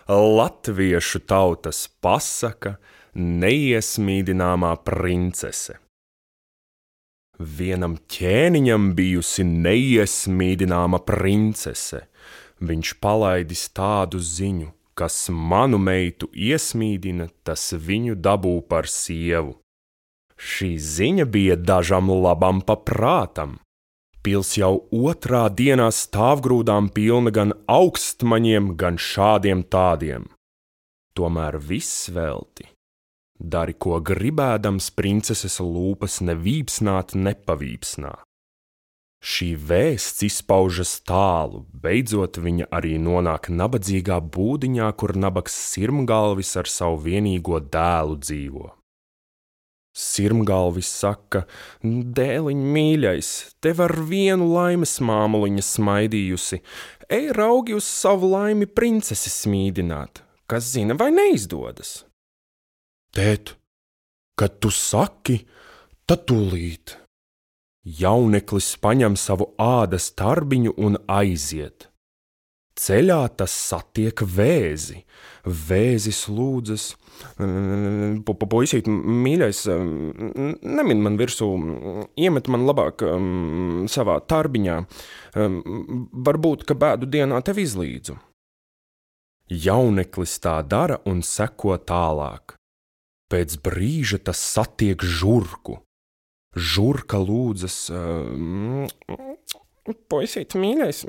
latviešu tautas pasaka neiesmīdināmā princese. Vienam ķēniņam bijusi neiesmīdināma princese. Viņš palaidis tādu ziņu, kas manu meitu iesmīdina, tas viņu dabū par sievu. Šī ziņa bija dažam labam pa prātam. Pils jau otrā dienā stāvgrūdām pilna gan augstmaņiem, gan šādiem tādiem. Tomēr viss velti. Dari, ko gribēdams, princeses lūpas nevīpsnāt, nepavīpsnā. Šī vēsts izpaužas tālu, beidzot viņa arī nonāk nabadzīgā būdiņā, kur nabags Sirmgalvis ar savu vienīgo dēlu dzīvo. Sirmgalvis saka: dēliņ mīļais, tev ar vienu laimes māmuliņa smaidījusi, ej raugi uz savu laimi princesi smīdināt, kas zina, vai neizdodas. Tēt, kad tu saki, tad tūlīt. Jauneklis paņem savu ādas tarbiņu un aiziet. Ceļā tas satiek vēzi. Vēzis lūdzas: puisīt, mīļais, nemin man virsū, iemet man labāk savā tarbiņā, varbūt, ka bēdu dienā tev izlīdzu. Jauneklis tā dara un seko tālāk. Pēc brīža tas satiek žurku. Žurka lūdzas: puisīt, mīļais,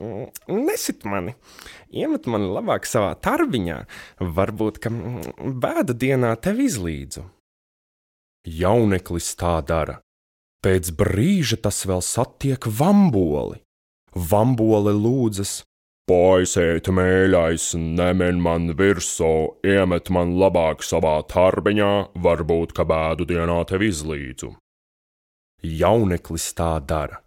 nesit mani, iemet mani labāk savā tarbiņā, varbūt, ka bēda dienā tev izlīdzu. Jauneklis tā dara. Pēc brīža tas vēl satiek vamboli. Vambole lūdzas: puisīt, mīļais, nemin man virsū, iemet man labāk savā tarbiņā, varbūt, ka bēdu dienā tev izlīdzu. Jauneklis tā dara.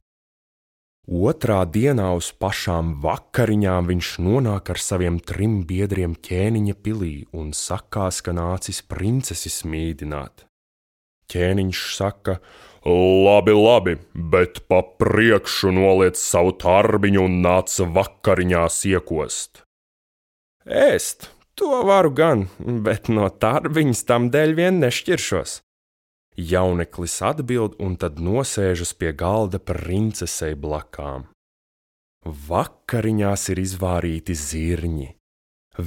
Otrā dienā uz pašām vakariņām viņš nonāk ar saviem 3 biedriem ķēniņa pilī un sakās, ka nācis princesi smīdināt. Ķēniņš saka: labi, bet pa priekšu noliec savu tarbiņu un nāc vakariņās iekost. Ēst, to varu gan, bet no tarbiņas tam dēļ vien nešķiršos. Jauneklis atbild un tad nosēžas pie galda princesei blakām. Vakariņās ir izvārīti zirņi.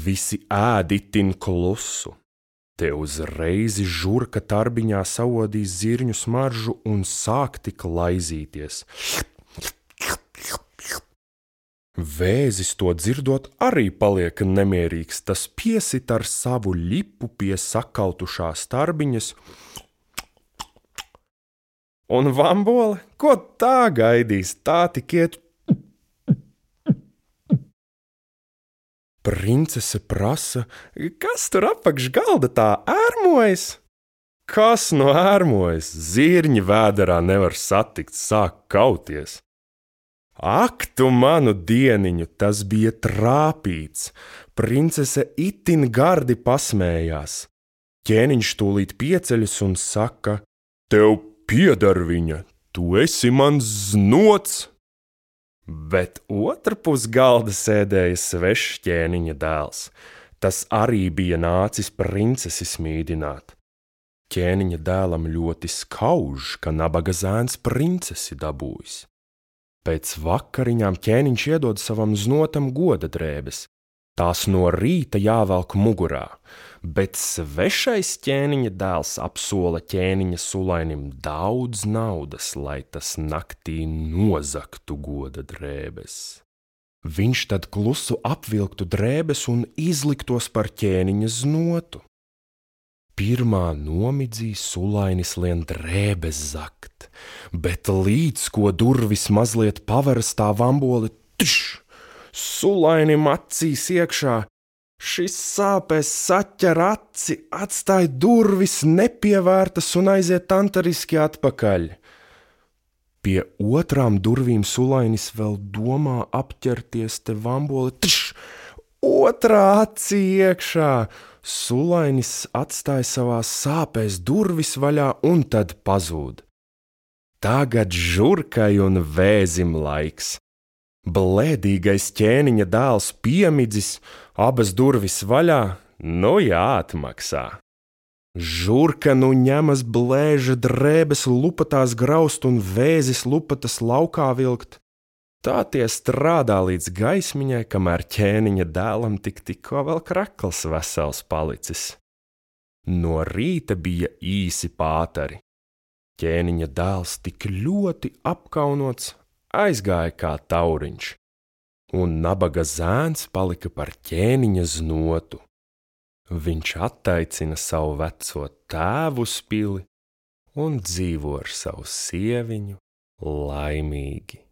Visi ēd itin klusu. Te uzreiz žurka tarbiņā saodīs zirņu smaržu un sāk tik laizīties. Vēzis to dzirdot arī paliek nemierīgs, tas piesit ar savu ļipu pie sakautušās tarbiņas. Un vambole, ko tā gaidīs, tā tik iet. Princese prasa: kas tur apakš galda tā ērmojas? Kas no ērmojas? Zirņi vēderā nevar satikt, sāk kauties. Ak, tu manu dieniņu, tas bija trāpīts. Princese itin gardi pasmējās. Ķēniņš tūlīt pieceļas un saka: tev pieder viņa, tu esi mans znots. Bet otrpus galda sēdēja svešs ķēniņa dēls. Tas arī bija nācis princesi smīdināt. Ķēniņa dēlam ļoti skauž, ka nabaga zēns princesi dabūjis. Pēc vakariņām ķēniņš iedod savam znotam goda drēbes. Tās no rīta jāvelk mugurā, bet svešais ķēniņa dēls apsola ķēniņa sulainim daudz naudas, lai tas naktī nozagtu goda drēbes. Viņš tad klusu apvilktu drēbes un izliktos par ķēniņa znotu. Pirmā nomidzī sulainis lien drēbes zakt, bet līdz ko durvis mazliet paveras, tā vambole Sulainim acīs iekšā. Šis sāpēs saķer aci, atstāja durvis nepievērtas un aiziet antariski atpakaļ. Pie otrām durvīm sulainis vēl domā apķerties, te vambole otrā acī iekšā. Sulainis atstāja savās sāpēs durvis vaļā un tad pazūd. Tagad žurkai un vēzim laiks. Blēdīgais ķēniņa dēls piemidzis, abas durvis vaļā, nu jāatmaksā. Žurka nu ņemas blēža drēbes lupatās graust un vēzis lupatas laukā vilkt. Tā tie strādā līdz gaismiņai, kamēr ķēniņa dēlam tikko vēl krakls vesels palicis. No rīta bija īsi pātari. Ķēniņa dēls tik ļoti apkaunots, aizgāja kā tauriņš, un nabaga zēns palika par ķēniņa znotu. Viņš attaicina savu veco tēvu uz pili un dzīvo ar savu sieviņu laimīgi.